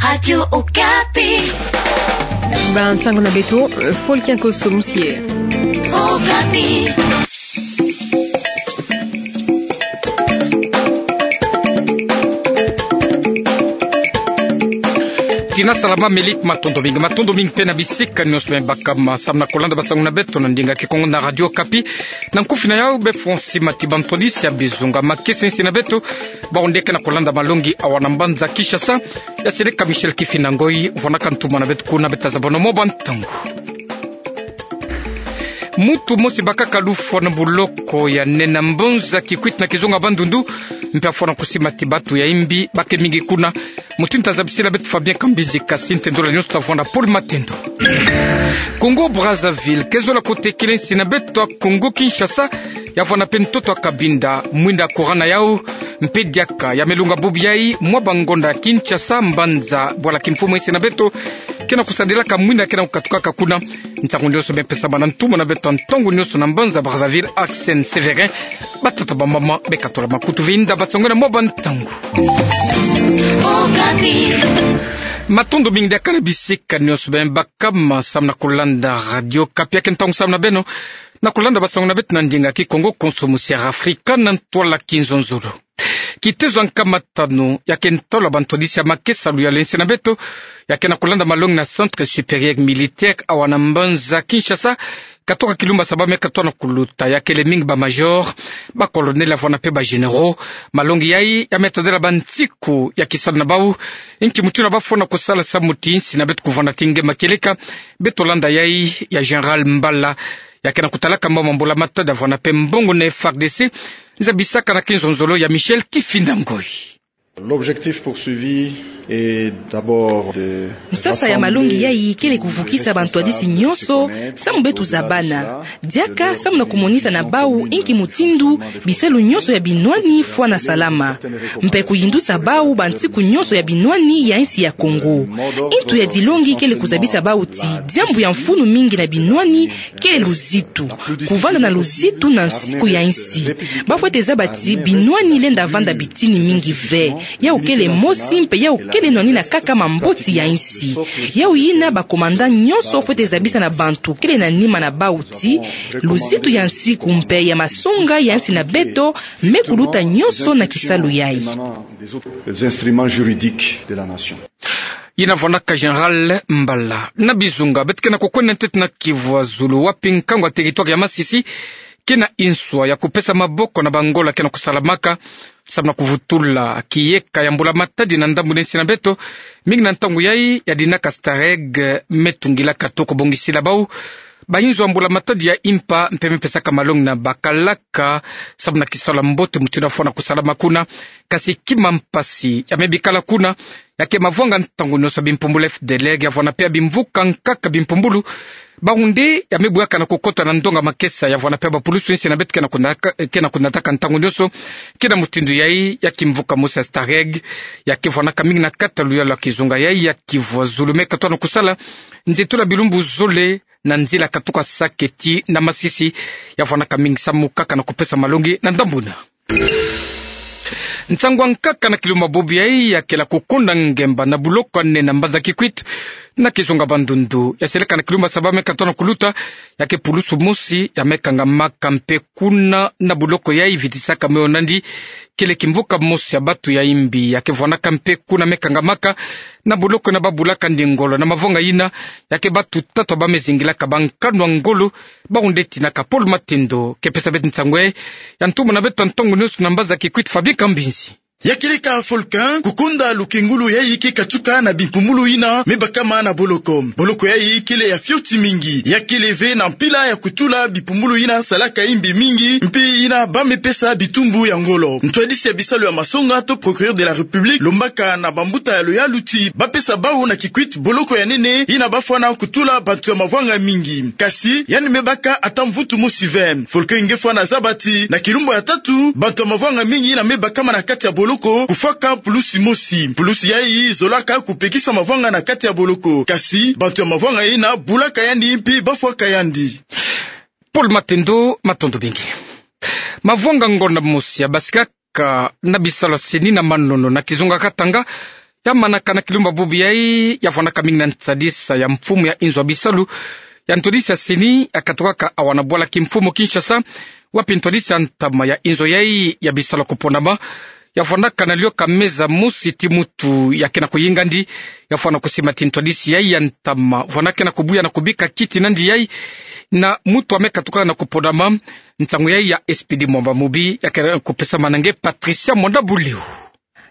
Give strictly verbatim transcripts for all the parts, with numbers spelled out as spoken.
Radio Okapi. Ba nsangu na beto, Folkin Koso Musie. Okapi. Tina salama, Melik, matondo mingi, matondo mingi mpe na bisika nyonso beno baka ma, samu na kolanda ba nsangu na beto na ndinga Kikongo na Radio Okapi. Na nkufi na yau, befo nsi mati ba ntwadisi ya bizunga makesa insi na beto, bawu nde ke na kolanda malongi awa na mbanza Kinshasa, ya seleka Michel Kifinda Ngoi, vwanaka ntumwa na beto kuna. Beta zabano mwa ba ntangu. Muntu mosi bakaka alufwa na boloko ya nene na mbanza Kikwit na kizunga Bandundu, mpe afwa na kusimati batu ya imbi, ba ke mingi kuna. Mutindu tazabisila beto Fabien Kambinzi, kasi ntendola nyonso tavwanda Paul Matendo. Congo Brazzaville ke zola kotekele insi na beto ya Congo Kinshasa, ya vwanda mpe ntoto ya Cabinda, mwinda courant na yau, mpe diaka ya me lunga bubu yayi, mwa ba ngonda ya Kinshasa, mbanza bwala kimfumu insi na beto, ke na kusadilaka mwinda ke na kukatukaka kuna. Nsangu nyonso me pesama na ntumwa na beto ntangu nyonso na mbanza Brazzaville, Arsène Sévérin. Batata bamama, beka tola makutu, vwinda ba nsangu na mwa ba ntangu. Okapi. Matondo mingi diaka na bisika nyonso beno baka ma, samu na kolanda Radio Okapi. Ya ke ntangu samu na beno na kolanda ba nsangu na beto na ndinga Kikongo, konso musi ya Afrika na ntwala Kinzonzolo. Kitezo ya nkama tanu ya ke ntalu ya ba ntwadisi ya makesa luyalu insi na beto, ya ke na kolanda malongi na Centre Supérieur Militaire awa na mbanza Kinshasa, katoka kilumbu ya saba me katoto na kuluta, ya kele mingi ba major, ba colonel, ya vwanda mpe ba généraux. Malongi yayi ya me tadila ba nsiku ya kisalu na bawu, inki mutindu ba fwana kusala samu ti insi na beto kuvwanda ti nge ma kieleka. Beto landa yayi ya Général Mbala, ya ke na kutalaka mambu ya mbula matadi ya vwanda mpe mbongo na F A R D C. Nzabisaka na Kinzonzolo ya Michel Kifinda Ngoi. L'objectif poursuivi est d'abord de... Nsasa ya malongi yayi kele kuvukisa ba ntwadisi nyonso, samu beto zabana. Diaka samu na kumonisa na bawu inki mutindu bisalu nyonso ya binwani fwana salama, mpe kuyindusa bawu ba nsiku nyonso ya binwani ya insi ya Congo. Ntu ya dilongi kele kuzabisa bawu ti diambu ya mfunu mingi na binwani kele luzitu. Kuvanda na luzitu na nsiku ya insi, ba fwete zaba ti binwani lenda vanda bitini mingi ve. Yawu kele mosi, mpe yawu kele nwanina kaka mamboti ya insi. Yawu yina ba commandant nyonso fwete zabisa na bantu kele na nima na bawu ti luzitu ya nsiku mpe ya masonga ya insi na beto me kuluta nyonso na kisalu yayi. Les instruments juridiques de la nation. Yina vwandaka Général Mbala. Na bizunga, beto ke na kukwenda ntete na Kivu ya Zulu, wapi nkangu ya territoire ya Masisi ke na inswa ya kupesa maboko na ba ngolo ke na kusalamaka samu na kuvutula kiyeka ya mbula matadi na ndambu na insi na beto, mingi na ntangu yayi ya dinaka STAREG me tungilaka to kubongisila bawu ba inzo ya mbula matadi ya impa, mpe me pesaka malongi na bakalaka samu na kisalu ya mbote mutindu ya fwana kusalama kuna. Kasi kima mpasi ya me bikala kuna, ya ke mavwanga ntangu nyonso ya bimpumbulu F D L R, ya vwanda mpe ya bimvuka nkaka bimpumbulu. Bawu nde ya me buyaka na kukota na ndonga makesa, ya vwanda mpe ya bapulusu insi na beto ke na kuna-, ke na kunataka ntangu nyonso. Ke na mutindu yayi ya kimvuka mosi ya STAREG, ya ke vwandaka mingi na kati ya luyalu ya kizunga yayi ya Kivu ya Zulu, me katoto na kusala nzitula bilumbu zole na nzila katuka Sake tii na Masisi, ya vwandaka mingi samu kaka na kupesa malongi na ndambu yina. Nsangu ya nkaka na kilumbu ya bubu yayi ya kele kukonda ngemba na boloko ya nene na mbanza Kikwit na kizunga Bandundu, ya seleka na kilumbu ya saba me katoto na kuluta, ya ke pulusu mosi ya me kangamaka mpe kuna na boloko yayi vitisaka moyo nandi, kele kimvuka mosi ya batu ya imbi ya ke vwandaka mpe kuna me kangamaka na boloko yina, ba bulaka ndi ngolo na mavwanga yina, ya ke batu tatu ba me zingilaka ba nkanu ya ngolo. Bawu nde tinaka Paul Matendo ke pesa beto nsangu yayi. Ya ntumwa na beto ntangu nyonso na mbanza Kikwit, Fabien Kambinzi. Ya kieleka Folkin, kukonda lukengulu yayi ke katuka na bimpumbulu yina me bakama na boloko. Boloko yayi kele ya fioti mingi, ya kele ve na mpila ya kutula bimpumbulu yina salaka imbi mingi, mpe yina ba me pesa bitumbu ya ngolo. Ntwadisi ya bisalu ya masonga to procureur de la République lombaka na bambuta ya luyalu ti ba pesa bawu na Kikwit boloko ya nene yina ba fwana kutula bantu ya mavwanga mingi. Kasi yandi me baka ata mvutu mosi ve. Folkin nge fwana zaba ti na kilumbu ya tatu, bantu ya mavwanga mingi yina me bakama na kati ya boloko kufwaka pulusi mosi. Pulusi yayi zolaka kupekisa mavwanga na kati ya boloko. Kasi bantu ya mavwanga yina bulaka yandi mpe ba fwaka yandi. Paul Matendo, matondo mingi. Mavwanga ngonda mosi ya basikaka na bisalu ya CENI na Manono na kizunga Katanga, ya manaka na kilumbu bubu yai, ya vwanaka mingi na ntadisa ya mfumu ya inzo ya bisalu ya ntwadisi ya seni, ya katukaka awa na bwala kimfumu Kinshasa, wapi ntwadisi ya ntama ya inzo yai ya bisalu ya kupondama, ya vwanaka na lioka meza mosi ti mutu ya kena kuyinga ndi, ya vwana kusimba ti ntwadisi yai ya ntama, vwana kena kubuya na kubika kiti na ndi yai, na mutu ame katukaka na kupondama, nsangu yai ya Expédit Mwamba Mubi, ya kena kupesama na nge Patricia Mwanda Bulio.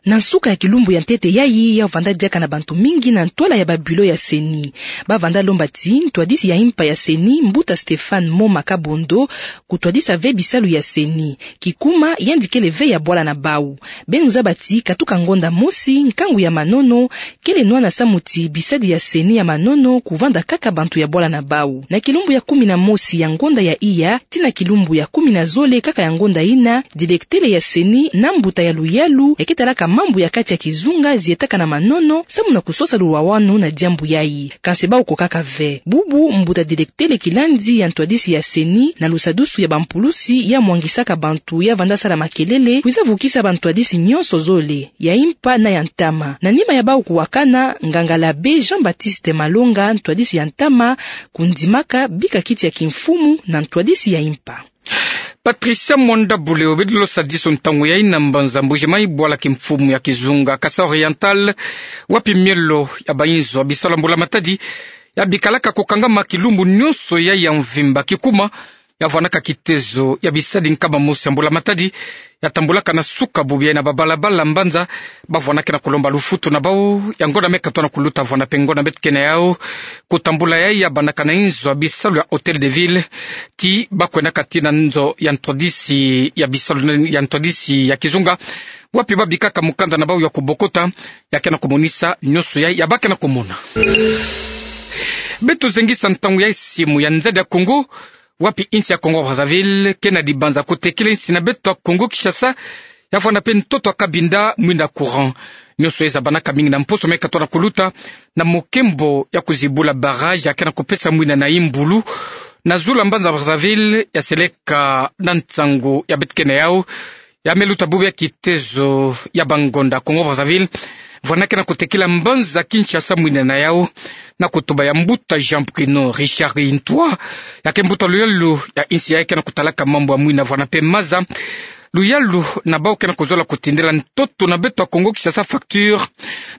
Na nsuka ya kilumbu ya ntete yai, ya vanda diaka na bantu mingi na ntwala ya ba bureau ya seni. Ba vanda lomba ti ntwadisi ya impa ya seni, mbuta Stéphane Moma Kabondo, kutwadisa ve bisalu ya seni. Kikuma, yandi kele ve ya bwala na bau. Beno zaba ti katuka ngonda mosi, nkangu ya manono kele nwana samu ti bisadi ya seni ya manono kuvanda kaka bantu ya bwala na bau. Na kilumbu ya kumi na mosi ya ngonda ya iya tii na kilumbu ya kumi na zole kaka ya ngonda yina, directeur ya seni na mbuta ya luyalu ya ketalaka mambu ya kati ya kizunga zietaka na manono samu na kusosa lulwawanu na diambu yai. Kansi bau ko kaka ve. Bubu mbuta directeur kilandi ya ntwadisi ya seni na lusadusu ya bampulusi ya mwangisaka bantu ya vanda sala makelele, kwiza vukisa bantwadisi nyonso zole, ya impa na ya ntama. Na nima ya bau kuwakana, nganga l'abbé Jean-Baptiste Malonga, ntwadisi ya ntama, kundimaka bika kiti ya kimfumu na ntwadisi ya impa. Patricia Mwanda Bulio. Beto losadiso ntangu yai na mbanza Mbuji-Mayi, bwala kimfumu ya kizunga Kasaï Oriental, wapi mielo ya bainzo ya bisalu ya mbula matadi ya bikalaka kukangama kilumbu nyonso yai ya mvimba. Kikuma, ya vwanaka kitezo ya bisadi nkama mosi ya mbula matadi, ya tambulaka na suka bubu yai na babalabala mbanza. Ba vwanaka na kulomba lufutu na bau, ya ngonda me katona kuluta vwana pe ngonda beto kena yau. Kutambula yai ya bandaka na inzo ya bisalu ya Hôtel de Ville, ti ba kwenaka tii na nzo ya ntwadisi ya bisalu ya ntwadisi ya kizunga, wapi ba bikaka mukanda na bau ya kubokota, ya kena kumonisa nyonso yai ya ba kena kumona. Beto zengisa ntangu yai simu ya nzadi ya Kongo, wapi insi ya Kongo Brazzaville kena dibanza kutekila insi na beto ya Kongo Kinshasa, ya vwanda pe ntoto ya kabinda mwinda courant. Nyonso yai zabanaka mingi na mposo me katona kuluta, na mokembo ya kuzibula barrage ya kena kupesa mwinda na Imbulu, na zulu ya mbanza Brazzaville, ya seleka na nsangu ya beto kena yau. Ya me luta bubu ya kitezo ya bangonda Kongo Brazzaville, vwana kena kutekila mbanza Kinshasa mwinda na yau, na kutuba ya mbuta Jean Bruno Richard Itoi, ya ke mbuta luyalu ya insi yai kena kutalaka mambu ya mwinda vwana pe maza. Luyalu na bau kena kuzola kutindela ntoto na beto ya Kongo Kinshasa facture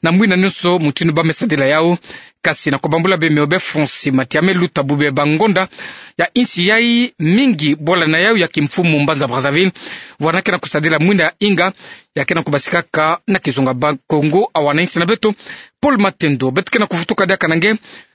na mwinda nyonso mutindu ba me sadila yau. Kasi na kubambula bemeo be Francis Mati, ya me luta bubu ya bangonda ya insi yai, mingi bwala na yau ya kimfumu mbanza Brazzaville, vwana kena kusadila mwinda ya inga, ya kena kubasikaka na kizunga Bas-Congo, awa na insi na beto. Paul Matendo, beto kena kuvutuka diaka na nge,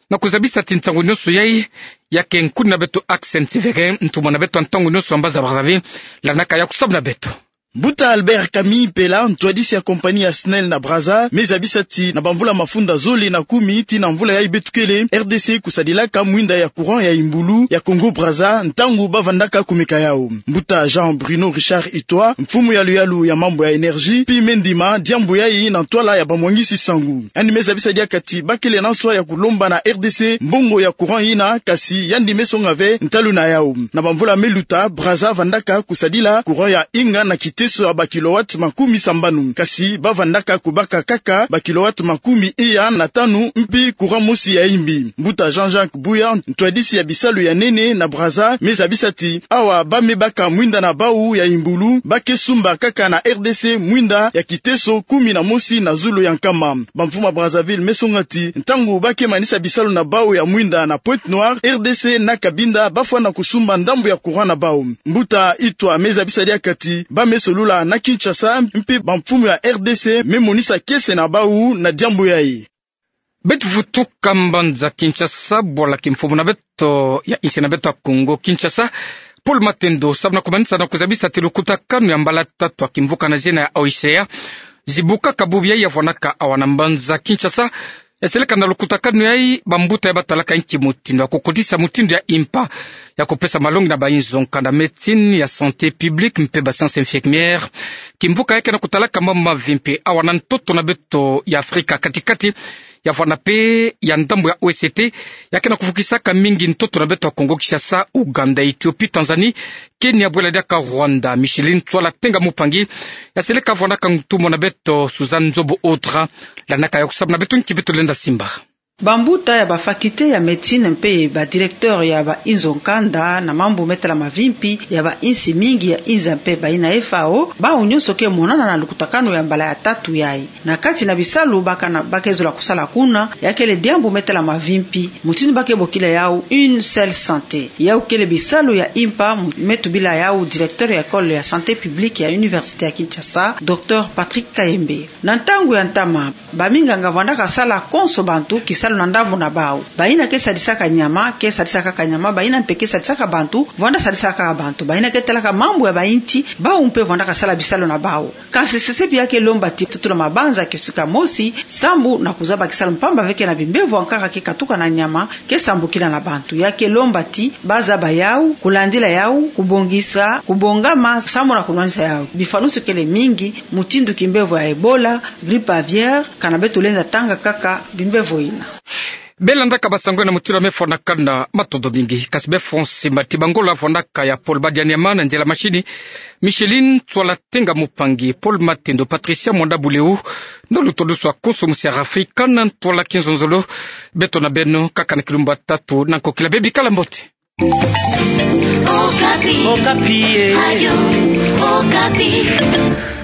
na kuzabisa ti nsangu nyonso yai, ya ke nkuni na beto Accent Severin, ntumwa na beto ya ntangu nyonso ya mbanza Brazzaville, landaka ya kusamu na beto. Mbuta Albert Camille Mpela, ntwadisi ya compagnie ya SNEL na Brazza, me zabisa ti na bamvula mafunda zole na kumi tii na mvula yai beto kele, R D C kusadilaka mwinda ya courant ya Imbulu ya Congo Brazza, ntangu ba vandaka kumeka yau. Mbuta Jean Bruno Richard Itoi, mfumu ya luyalu ya mambu ya énergie, pi me ndima diambu yai na ntwala ya bamwangisi nsangu. Yandi me zabisa diaka ti ba kele na nswa ya kulomba na R D C mbongo ya courant yina, kasi yandi me songa ve ntalu na yau. Na bamvula me luta, Brazza vandaka kusadila courant ya inga na kiteso ya ba kilowatt makumi sambanu. Kasi ba vandaka kubaka kaka ba kilowatt makumi iya na tanu, mpi courant mosi ya imbi. Mbuta Jean-Jacques Buya, ntwadisi ya bisalu ya nene na Brazza, me zabisa ti awa ba me baka mwinda na bau ya Imbulu, ba ke sumba kaka na R D C mwinda ya kiteso kumi na mosi na zulu ya nkama. Bamfumu ya Brazzaville me songa ti ntangu ba ke manisa bisalu na bau ya mwinda na Pointe-Noire, R D C na Cabinda ba fwana kusumba ndambu ya courant na bau. Mbuta Itoi me zabisa diaka ti ba me solula na Kinshasa, mpi bamfumu ya R D C me monisa kiese na bau na diambu yai. Beto vutuka mbanza Kinshasa, bwala kimfumu na beto ya insi na beto ya Congo Kinshasa, Paul Matendo, samu na kumanisa na kuzabisa ti lukutakanu ya mbala tatu ya kimvuka na zina ya O I C A zibukaka bubu yai, ya vwanaka awa na mbanza Kinshasa. Ya seleka na lukutakanu yai, bambuta yai ba talaka inki mutindu ya kukotisa mutindu ya impa ya kupesa malongi na bainzo, nkanda médecine, ya santé publique mpe ba sciences infirmières. Kimvuka yai kena kutalaka mambu mavimpi awa na ntoto na beto ya Afrika kati-kati, ya vwanda mpe ya ndambo ya O C T, ya ke na kufukisaka mingi ntoto na beto ya Congo Kinshasa, Ouganda, Ethiopie, Tanzanie, Kenya, bwela diaka Rwanda. Micheline Ntsoila Tenga Moupangi, ya seleka vwandaka ntumwa na beto Suzanne Nzobo Audra, landaka ya kusabu na beto nki beto lenda simba. Bambuta ya ba faculté ya médecine mpe ba directeur ya ba inzo nkanda na mambu me tala mavimpi ya ba insi mingi ya inza mpe bayina F A O, bawu nyonso ke monana na lukutakanu ya mbala ya tatu yayi. Na kati na bisalu ba ke na, ba ke zola kusala kuna, ya kele diambu me tala mavimpi, mutindu ba ke bokila yawu une seule santé. Yawu kele bisalu ya impa mu-, me tubila yawu directeur ya école ya santé publique ya université ya Kinshasa, docteur Patrick Kayembe. Na ntangu ya ntama, baminganga vwandaka sala konso bantu kisalu na ndambu na bawu. Bayina ke sadisaka nyama, ke sadisa kaka nyama, bayina mpe ke sadisaka bantu, vwanda sadisa kaka bantu. Bayina ke talaka mambu ya ba inti, bawu mpe vwandaka sala bisalu na bawu. Kansi sesepi ya ke lomba ti tutula mabanza kiosika mosi, sambu na kuzaba kisalu mpamba ve ke na bimbevo ya nkaka ke katuka na nyama, ke sambukila na bantu. Ya ke lomba ti bazaba yawu, kulandila yawu, kubongisa, kubongama, sambu na kunwanisa yawu. Bifanusu kele mingi, mutindu kimbevo ya Ebola, grippe aviaire, kana beto lenda tanga kaka bimbevo yina. Bela ndaka basango yina mutindu ya me fwanakana, matondo mingi. Kasi befo nsi mati, ba ngolo vwandaka ya Paul Badianyama, na nzela machine, Micheline Ntsoila Tenga Moupangi, Paul Matendo, Patricia Mwanda Buleu, na lutodusu ya konso musi ya Afrika, na ntwala kinzonzolo, beto na beno kaka na kilumbu ya tatu na nkokila, bebikala mbote. Okapi. Okapi, eh. Radio Okapi.